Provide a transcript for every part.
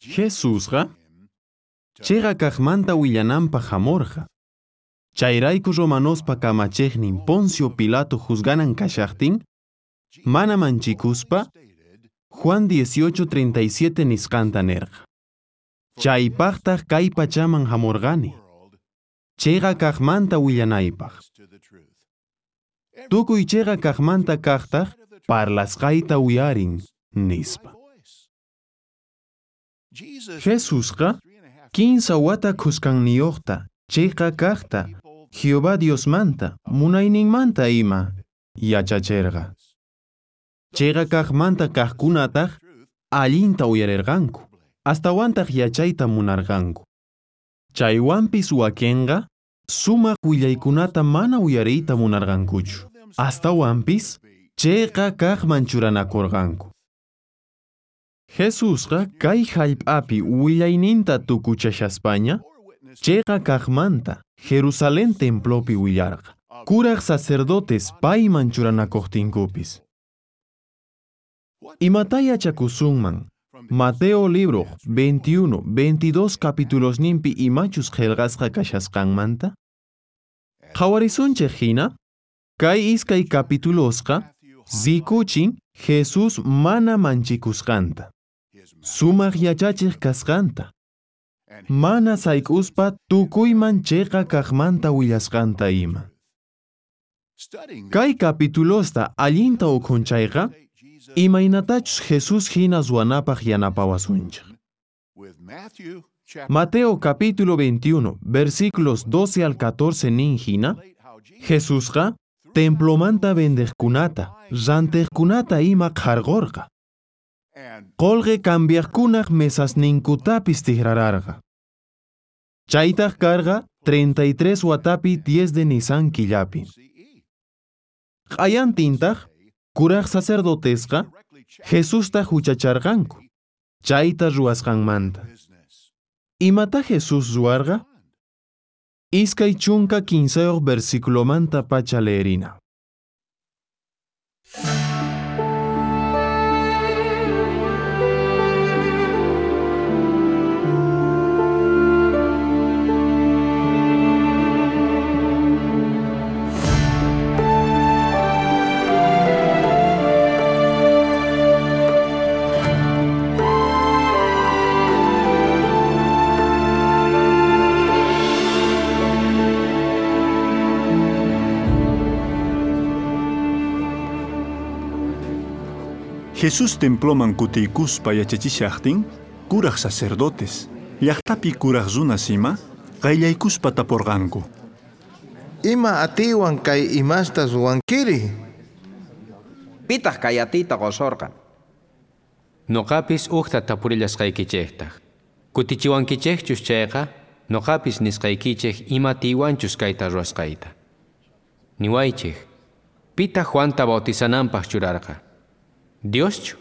Jesusqa chiqa kaqmanta willananpaq hamurqa. Chayrayku romanospa kamachiqnin Poncio Pilato juzganan kashaqtin, mana manchikuspa, Juan 18:37 nisqanta nirqa. Chaypaqtaq kay pachaman hamurqani, chiqa kaqmanta willanaypaq. Tukuy chiqa kaqmanta kaqtaq parlasqayta uyarin, nispa. Jesusqa 15 wata khuskanniyuqta chiqa kaqta Jehová Diosmanta munayninmanta ima yachachirqa. Chiqa kaqmanta kaqkunataq allinta uyarirqanku, astawantaq yachayta munarqanku. Chaywanpis wakinqa sumaq willaykunata mana uyariyta munarqankuchu, astawanpis chiqa kaqman churanakurqanku. Jesusqa kay hallp'api willayninta tukuchashaspaña, chiqa kaqmanta Jerusalén templopi willarqa. Kuraq sacerdotes payman churanakuqtinkupis. Imata yachakusunman Mateo libro 21, 22 capítulosninpi imachus qillqasqa kashasqanmanta? Qhawarisunchik hina, kay iskay capítulosqa rikuchin Jesús mana manchikusqanta, sumaq yachachiq kasqanta, mana sayk'uspa tukuyman chiqa kaqmanta willasqanta ima. Kay capitulosta allinta ukhunchayqa, imaynatachus Jesús hina ruwanapaq yanapawasunchik. Mateo capítulo 21, versículos 12 al 14 nin hina, Jesusqa templomanta vendeqkunata, rantiqkunata ima qharqurqa. Qolqe cambiaqkunaq mesasninkutapis tikrararqa. Chaytaq karqa 33 watapi 10 de Nisan killapi. Q'ayantintaq kuraq sacerdotesqa Jesusta huchacharqanku, chayta ruwasqanmanta. Imata Jesús ruwarqa? 23 versículomanta pacha leerina. Jesús temploman kutiykuspa yachachishaqtin, kuraq sacerdotes, llaqtapi kuraq runas ima, qayllaykuspa tapurqanku. Ima atiywan kay imasta ruwankiri? Pitaq kay atiyta qusurqa? Noqapis uqta tapurillasqaykichiktaj. Kutichiwankichikchus chayqa, noqapis nisqaykichik ima atiywanchus kayta ruwasqayta. Niwaychik, pitaq Juanta bautizananpaq churarqa? Dioschu,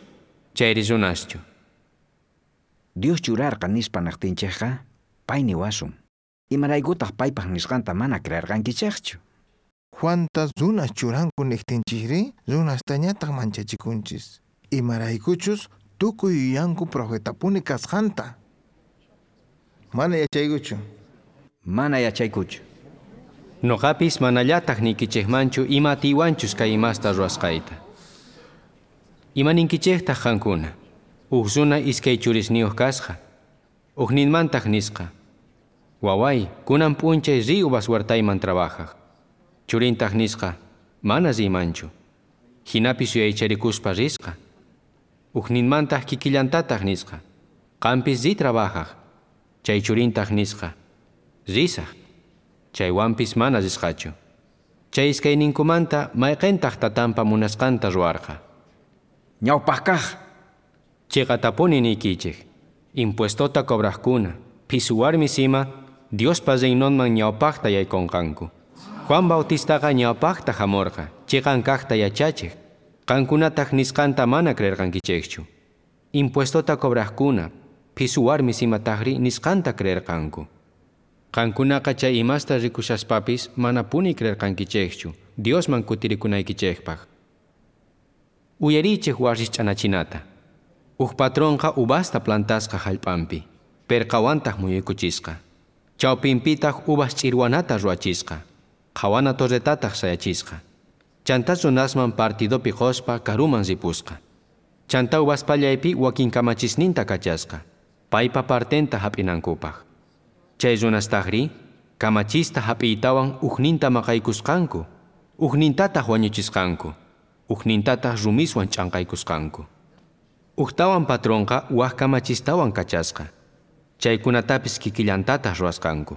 chayri runaschu. Dios churarqa nispa naqtinchikqa, pay niwasun. Imaraykutaq paypaq nisqanta mana creerqankichikchu? Juanta runas churanku niqtinchikri, runastañataq manchachikunchis. Imaraykuchus tukuy yuyanku profetapuni kasqanta. Mana yachaykuchu. Mana yachaykuchu. Noqapis manallataq niykichikmanchu ima atiywanchus kay imasta ruwasqayta. Imaninkichiktaq qankuna, uj runa iskay churisniyuq kasqa, ujninmantaq nisqa, waway, kunan p'unchay riy uvas huertayman trabajaq. Churintaq nisqa, mana riymanchu. Hinapis yuyaycharikuspa risqa. Ujninmantaq kikillantataq nisqa, qampis riy trabajaq. Chay churintaq nisqa, risaq. Chaywanpis mana risqachu. Chay iskayninkumanta mayqintaq tatanpa munasqanta ruwarqa. Ñawpaq kaq. Chiqatapuni niykichik, impuestota cobraqkuna, phisu warmis ima, Diospa reinonman ñawpaqta yaykunqanku. Juan Bautistaqa ñawpaqta hamurqa, chiqan kaqta yachachiq. Qankunataq nisqanta mana creerqankichikchu. Impuestota cobraqkuna, phisu warmis imataqri nisqanta creerqanku. Qankunaqa chay imasta rikushaspapis manapuni creerqankichikchu, Diosman kutirikunaykichikpaq. Uyarichik wasich'anachinata. Uj patronqa uvasta plantasqa jallp'anpi, perqawantaj muyuykuchisqa. Chawpinpitaq uvas ch'irwanata ruwachisqa, qhawana torretataj sayachisqa. Chantá runasman partidopi qospa karuman ripusqa. Chantá uvas pallaypi wakin kamachisninta kachasqa, paypa partenta jap'inankupaj. Chay runastajrí kamachista jap'iytawan ujninta maqaykusqanku, ujnintataj wañuchisqanku, ujnintataj rumiswan ch'anqaykusqanku. Ujtawan patronqa waj kamachistawan kachasqa. Chaykunatapis kikillantataj ruwasqanku.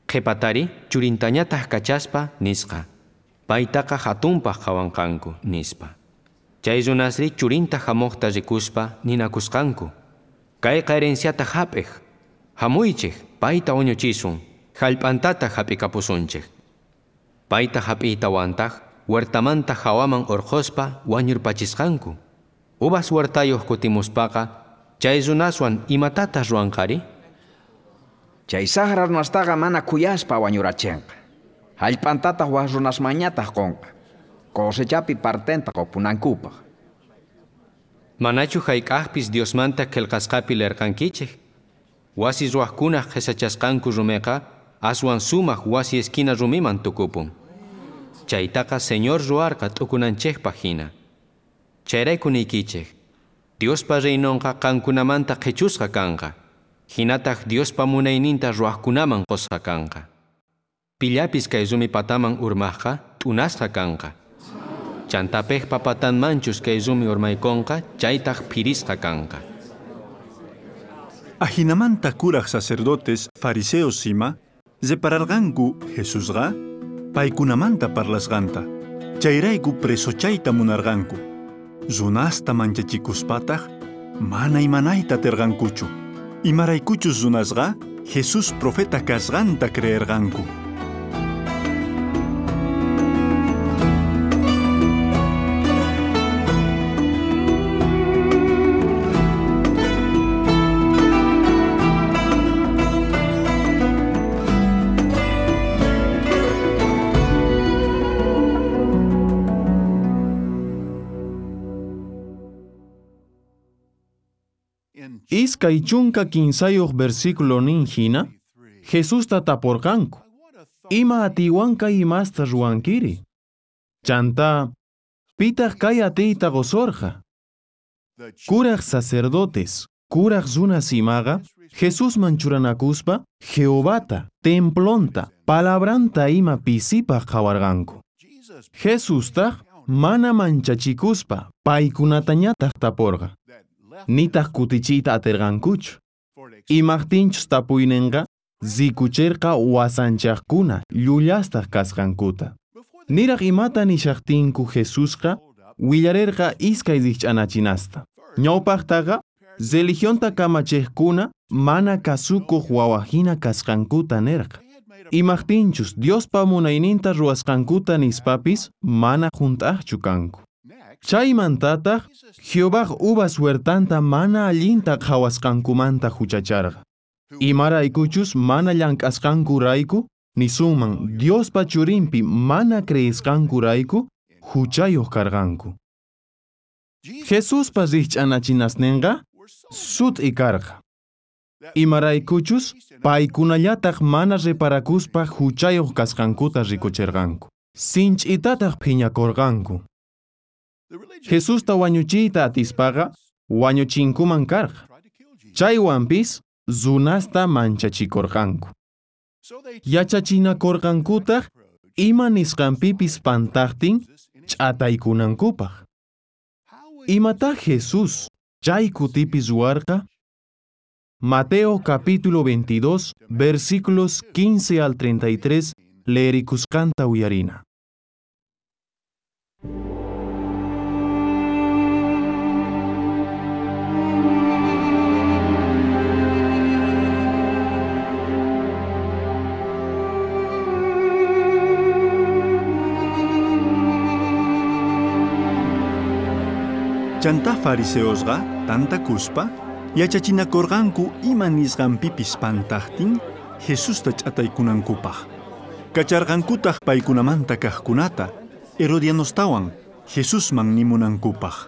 Qhipatari churintañataj kachaspa nisqa, paytaqa hatunpaj qhawanqanku nispa. Chay runasri churinta hamuqta rikuspa ninakusqanku. Kayqa herenciata hap'ej, hamuychej payta wañuchisun, jallp'antataq hap'ikapusunchej. Payta hap'iytawantaj huertamanta hawaman urqhuspa wañurpachisqanku. Uvas huertayuq kutimuspaqa chay runaswan imatataq ruwanqari? Chay sajra runastaqa mana khuyaspa wañurachinqa. Jallp'antataq waj runasmanñataq qunqa. Cosechapi partenta qupunankupaq. Manachu hayk'aqpis Diosmanta qillqasqapi lerqankichej? Wasi ruwaqkunaq qhisachasqanku rumiqa aswan sumaq wasi esquina rumiman tukupun. Chaytaqa Señor ruwarqa t'ukunanchejpaq hina. Chayrayku niykichej, Diospa reinonqa qankunamanta qhichusqa kanqa, hinataq Diospa munayninta ruwaqkunaman qusqa kanqa. Pillapis kay rumi pataman urmaqqa t'unasqa kanqa. Chantapejpa patanmanchus kay rumi urmaykunqa chaytaq phirisqa kanqa. Ajinamanta kuraj sacerdotes fariseos ima repararqanku Jesusqa paykunamanta parlasqanta. Chayrayku presochayta munarqanku. Runasta manchachikuspataj mana imanayta aterqankuchu. Imaraykuchus runasqa Jesús profeta kasqanta creerqanku. Iskay chunka kinsayuq versículo nin hina, Jesusta taporqanku. Ima atiywan kay imasta ruwankiri? Chantá, pitaq kay atiyta qusorqa? Kuraj sacerdotes, kuraj runas imaqa, Jesusman churanakuspa, Jehovata, templonta, palabranta ima pisipaq qhawarqanku. Jesustaq mana manchachikuspa, paykunatañataq taporqa. Nitaq kutichiyta aterqankuchu. Imaqtinchus tapuyninqa rikucherqa wasanchaqkuna llullastaq kasqankuta. Niraq imata nishaqtinku Jesusqa willarerqa iskay rikch'anachinasta. Ñawpaqtaqa religionta kamachiqkuna mana kasukuq wawajina kasqankuta nerqa. Imaqtinchus Diospa munayninta ruwasqankuta nispapis mana junt'aqchu kanku. Chaymantataq Jehovaj uvas huertanta mana allinta qhawasqankumanta huchacharqa. Imaraykuchus mana llank'asqankurayku, nisunman Diospa churinpi mana creesqankurayku huchayuq karqanku. Jesuspa rikch'anachinasninqa sut'i karqa. Imaraykuchus paykunallataq mana reparakuspa huchayuq kasqankuta rikuchirqanku. Sinch'itataq phiñakurqanku. Jesusta wañuchiyta atispaqa wañuchinkuman karqa. Chaywanpis runasta manchachikurqanku. Yachachinakurqankutaq ima nisqanpipis pantaqtin ch'ataykunankupaq. Imatá Jesús chay kutipi ruwarqa? Mateo capítulo 22, versículos 15 al 33, leerikusqanta uyarina. Chantá fariseosqa tantakuspa yachachinakurqanku ima nisqanpipis pantaqtin Jesusta ch'ataykunankupaq. Kacharqankutaq paykunamanta kaqkunata Herodianostawan Jesusman nimunankupaq.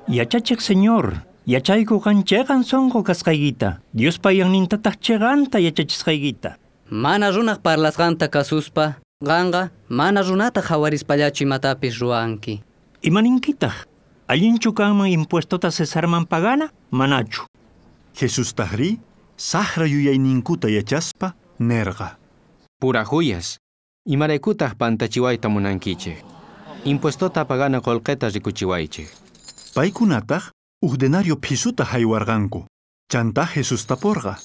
Yachachiq Señor, Yachayku qan cheqan sonqo kasqaykita, Diospa yannintataq cheqanta yachachisqaykita. Mana runaj parlasqanta kasuspa, qanqa mana runata qhawarispallachu imatapis ruwanki. Imaninkitaq? Allinchu kanman impuestota Cesarman pagana? Manachu. Jesustajrí sajra yuyayninkuta yachaspa nerqa. Purajuyas, imaraykutaq pantachiwayta munankichej. Impuestota pagana qolqeta rikuchiwaychej. Paykunataq uj denario phisuta haywarqanku. Chantá Jesús taporqa.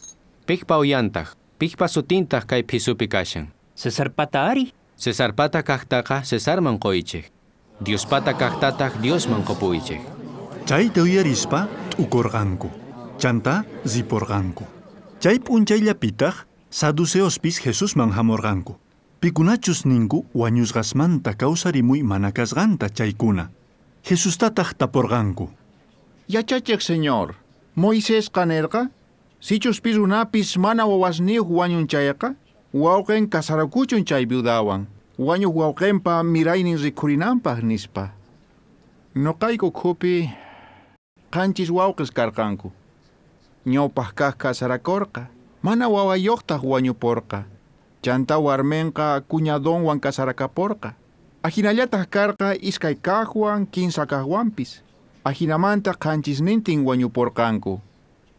Piqpa uyantaq, piqpa sutintaq kay phisupi kashan. Cesarpata ari. Cesarpata kaqtaqa Cesarman qoychej. Diospata kaqtataq Diosman qopuychej. Chayta uyarispa t'ukorqanku. Chantá riporqanku. Chay p'unchayllapitaq saduceospis Jesusman hamorqanku. Pikunachus ninku wañusqasmanta kawsarimuy mana kasqanta chaykuna. Jesustataq taporqanku. Yachachiq señor, Moisésqa nerqa, sichus pi runapis mana wawasniyuq wañun chayqa, wawqin kasarakuchun chay viudawan, wañuq wawqinpa miraynin rikhurinanpaq nispa. Noqayku ukhupi qanchis wawqis karqanku. Ñawpaq kaq kasarakurqa, mana wawayuqtaq wañuporqa. Chantá warminqa cuñadonwan kasarakaporqa. Ajinallataq karqa iskay kaqwan, kinsa kaqwanpis. Ajinamanta qanchisnintin wañuporqanku.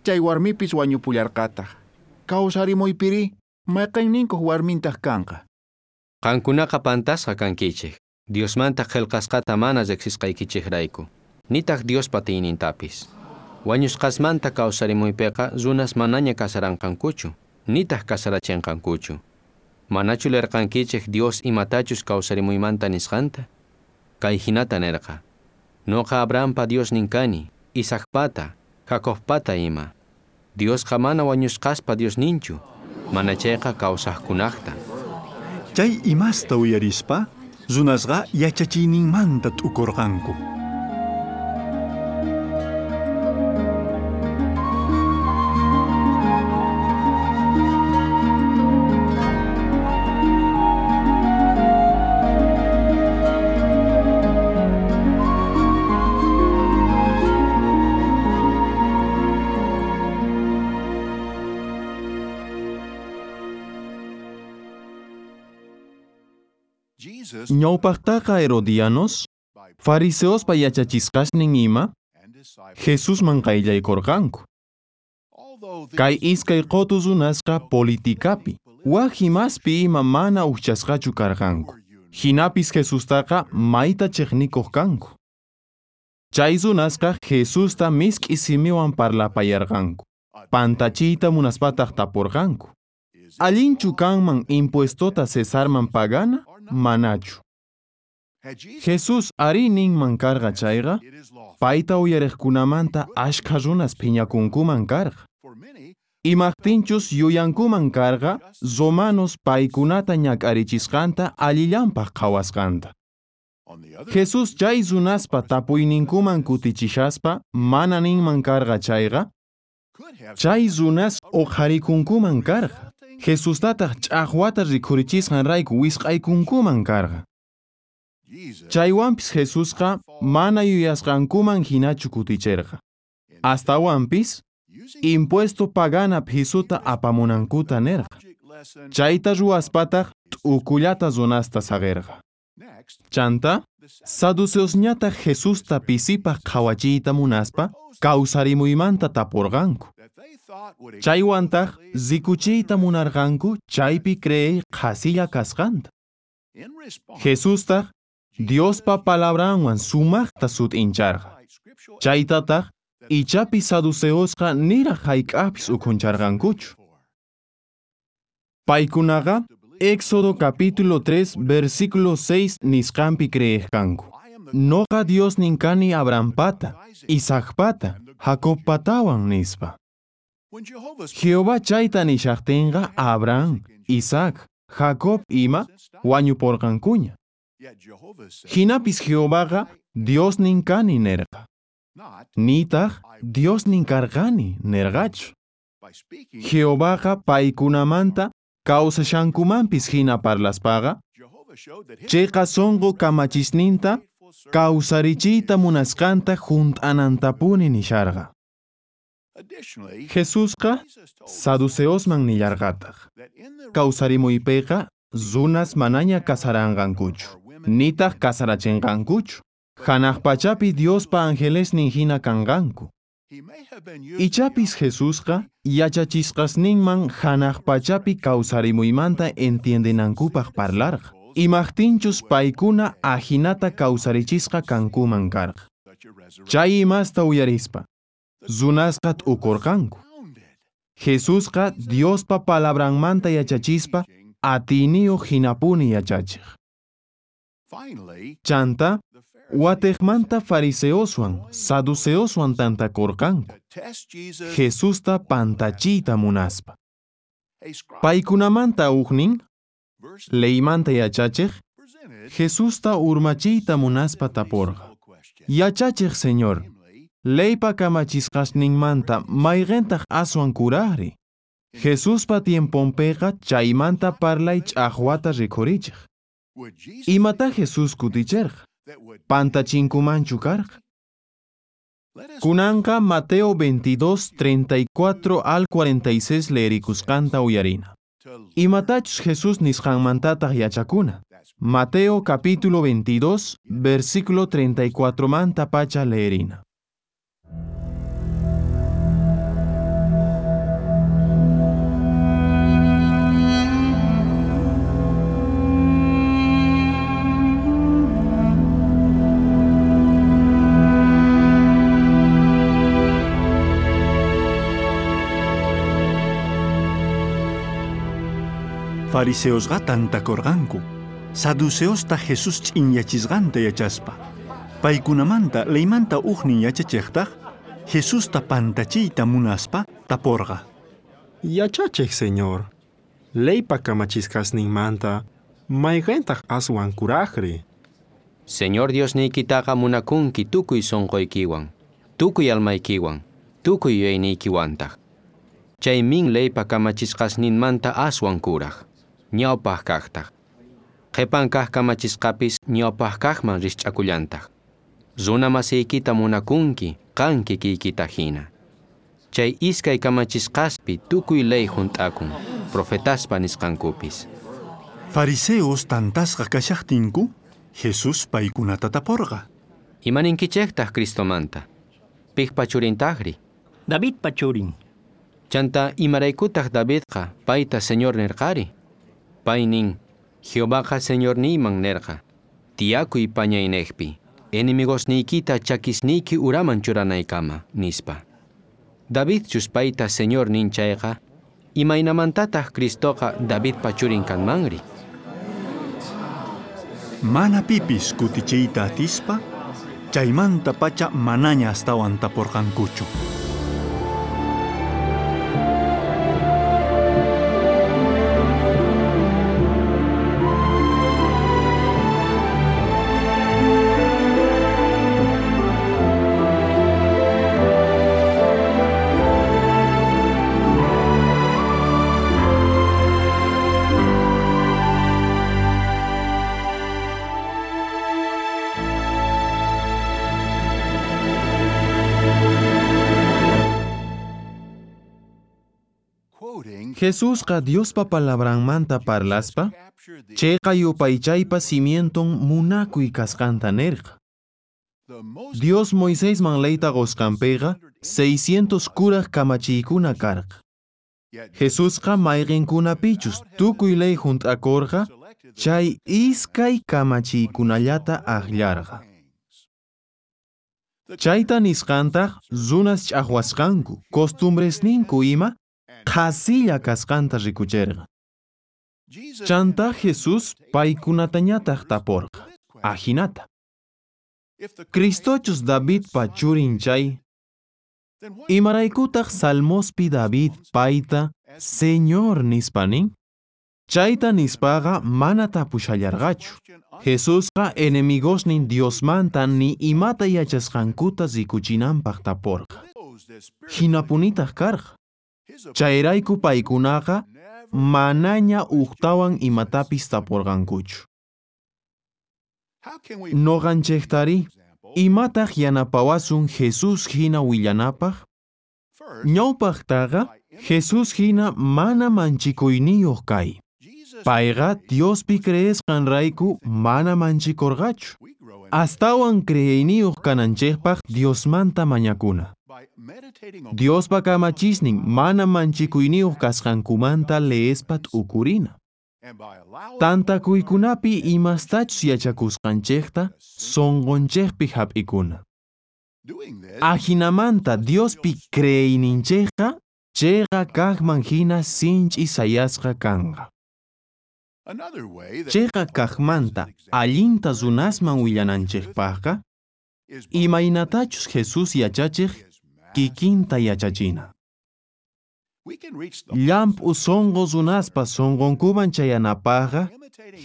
Chay warmipis wañupullarqataq. Kawsarimuypiri, mayqinninkuq warmintaq kanqa. Qankunaqa pantasqa kankichej. Diosmanta qillqasqata mana riqsisqaykichejrayku. Nitaq Diospa tiynintapis. Wañusqasmanta kawsarimuypiqa runas manaña kasaranqankuchu, nitaq kasarachinqankuchu. Manachu lerqankichej Dios imatachus kawsarimuymanta nisqanta? Kay hinata nerqa. Noqa Abrahampa Diosnin kani, Isaacpata, Jacobpata ima. Diosqa mana wañusqaspa Diosninchu, mana chayqa kawsaqkunaqta. Chay imasta uyarispa, runasqa yachachiyninmanta t'ukorqanku. Ñawpaqtaqa Herodianos, fariseospa yachachisqasnin ima, Jesusman qayllaykorqanku. Kay iskay qotu runasqa politikapi, waj imaspi ima mana ujchasqachu karqanku. Jinapis Jesustaqa mayta chiqnikuq kanku. Chay runasqa Jesusta misk'i simiwan parlapayarqanku. Pantachiyta munaspataq tapurqanku. Allinchu kanman impuestota Cesarman pagana? Manachu. Jesús ari ninman karqa chayqa, payta uyariqkunamanta ashkha runas phiñakunkuman karqa. Imaqtinchus yuyankuman karqa, romanos paykunata ñak'arichisqanta allillanpaq qhawasqanta. Jesús chay runaspa tapuyninkuman kutichishaspa mana ninman karqa chayqa, chay runas uqharikunkuman karqa. Jesustataq ch'aqwata rikhurichisqanrayku wisq'aykunkuman karqa. Chaywanpis Jesusqa mana yuyasqankuman hinachu kuticherqa. Astawanpis impuesto pagana phisuta apamunankuta nerqa. Chayta ruwaspataq t'ukullata runasta saqirqa. Chanta, saduceosñataq Jesusta pisipaq qhawachiyta munaspa kawsarimuymanta tapurqanku. Chaywantaq rikuchiyta munarqanku chaypi creey qhasilla kasqanta. Jesustaq Diospa palabranwan sumaqta sut'incharqa. Chaytataq ichapi saduceosqa niraq hayk'apis ukhuncharqankuchu. Paykunaqa Éxodo capítulo 3 versículo 6 nisqanpi creeqkanku. Noqa Diosnin kani Abrahampata, Isaacpata, Jacobpatawan nispa. Jehová chayta nishaqtinqa Abraham, Isaac, Jacob ima wañuporqankuña. Jinapis Jehovaqa Diosnin kani nerqa. Nitaq Diosnin karqani nerqachu. Jehovaqa paykunamanta kawsashankumanpis hina parlaspaqa, chayqa sunqu kamachisninta kawsarichiyta munasqanta junt'anantapuni nisharqa. Jesusqa saduceosman nillarqataq. Kawsarimuypiqa runas manaña kasaranqankuchu, nitaq kasarachinqankuchu. Hanaq pachapi Diospa angelesnin hina kanqanku. Ichapis Jesusqa yachachisqasninman hanaq pachapi kawsarimuymanta entiendenankupaq parlarqa. Imajtinchus paykuna ajinata kawsarichisqa kankuman karqa. Chay imasta uyarispa, runasqa t'ukurqanku. Jesusqa Diospa palabranmanta yachachispa atiyniyuq hinapuni yachachiq. Chanta, watejmanta fariseoswan, saduceoswan tantakurqanku. Jesusta pantachiyta munaspa. Paykunamanta ujnin, leymanta yachachiq, Jesusta urmachiyta munaspa taporqa. Yachachiq Señor, leypa kamachisqasninmanta mayqintaq aswan kuraqri. Jesuspa tiemponpiqa chaymanta parlay ch'aqwata rikhurichiq. Imata Jesús kuticherqa? Pantachinkumanchu karqa? Kunanqa Mateo 22, 34 al 46 leerikusqanta uyarina. Imatachus Jesús nisqanmantataq yachakuna. Mateo capítulo 22, versículo 34 manta pacha leerina. Fariseosqa tantakurqanku, saduceosta Jesús ch'inyachisqanta yachaspa. Paykunamanta leymanta ujnin yachachiqtaq Jesusta pantachiyta munaspa taporqa. Yachachiq Señor, leypa kamachisqasninmanta mayqintaq aswan kuraqri? Señor Diosniykitaqa munakunki tukuy sonqoykiwan, tukuy almaykiwan, tukuy yuyayniykiwantaq. Chaymin leypa kamachisqasninmanta aswan kuraq, ñawpaq kaqtaq. Qhipan kaq kamachisqapis ñawpaq kaqman rikch'akullantaq. Runa masiykita munakunki qan kikiykita hina. Chay iskay kamachisqaspi tukuy ley hunt'akun, profetaspa nisqankupis. Fariseos tantasqa kashaqtinku, Jesús paykunata taporqa. Imaninkichejtaq Cristomanta? Piqpa churintaqri? Davidpa churin. Chanta imaraykutaq Davidqa payta Señor nirqari? Pay nin, Jehovaqa Señorniyman nerqa, tiyakuy pañaynejpi, enemigosniykita chakisniyki uraman churanaykama, nispa. Davidchus payta Señor nin chayqa, imaynamantataq Cristoqa Davidpa churin kanmanri? Mana pipis kutichiyta atispa, chaymanta pacha manaña astawan taporqankuchu. Jesusqa Diospa palabranmanta parlaspa, chayqa yupaychaypa cimienton munakuy kasqanta nerqa. Dios Moisésman leyta qusqanpiqa 600 kuraq kamachiykuna karqa. Jesusqa mayqinkunapichus tukuy ley hunt'akurqa, chay iskay kamachiykunallata aqllarqa. Chayta nisqantaq runas ch'aqwasqanku, costumbresninku ima qhasilla kasqanta rikucherqa. Chanta Jesús paykunatañataq taporqa, ajinata. Cristochus Davidpa churin chay, imaraykutaq Salmospi David payta Señor nispa nin? Chayta nispaqa mana tapushallarqachu. Jesusqa enemigosnin Diosmanta ni imata yachasqankuta rikuchinanpaq taporqa. Hinapunitaq karqa. Chayrayku paykunaqa manaña ujtawan imatapis taporqankuchu. Noqanchejtari, imataq yanapawasun Jesús hina willanapaq? Ñawpaqtaqa Jesús hina mana manchikuyniyuq kay. Payqa Diospi creesqanrayku mana manchikurqachu. Astawan creeyniyuq kananchikpaq Diosmanta mañakuna. Diospa kamachisnin mana manchikuyniyuq kasqankumanta leespa t'ukurina. Tantakuykunapi imastachus yachakusqanchikta sunqunchikpi hap'ikuna. Ajinamanta Diospi creeyninchikqa chiqa kaqman hina sinch'i sayasqa kanqa. Chiqa kaqmanta allinta runasman willananchikpaqqa imaynatachus Jesús yachachiq kikinta yachachina. Llamp'u sunqu runaspa sunqunkuman chayanapaqqa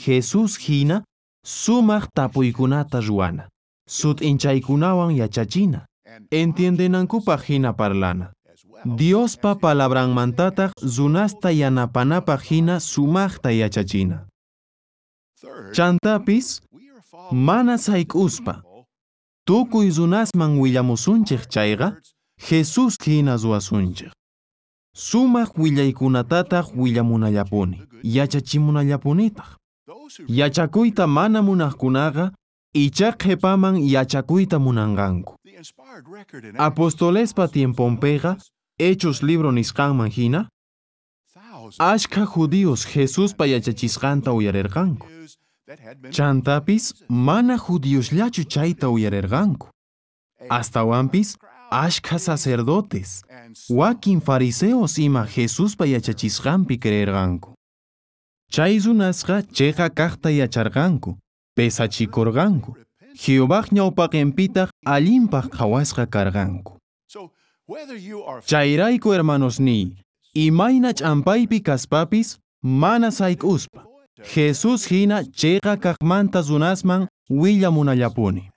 Jesús hina sumaq tapuykunata ruwana, sut'inchaykunawan yachachina, entiendenankupaq hina parlana. Diospa palabranmantataq runasta yanapanapaq hina sumaqta yachachina. Chantapis mana sayk'uspa tukuy runasman willamusunchik chayqa Jesús hina ruwasunchik. Sumaq willaykunatataq willamunallapuni, yachachimunallapunitaq. Yachakuyta mana munaqkunaqa icha qhipaman yachakuyta munanqanku. Apostolespa tiemponpiqa Hechos libro nisqanman hina achkha judíos Jesuspa yachachisqanta uyarirqanku. Chantapis mana judíosllachu chayta uyarirqanku. Astawanpis achkha sacerdotes, wakin fariseos ima Jesuspa yachachisqanpi creerqanku. Chay runasqa chiqa kaqta yacharqanku, pesachikurqanku. Jehovaj ñawpaqinpitaq allinpaq qhawasqa karqanku. Chayrayku hermanosniy, imayna ch'ampaypi kaspapis mana sayk'uspa. Jesús hina chiqa kaqmanta runasman willamunallapuni.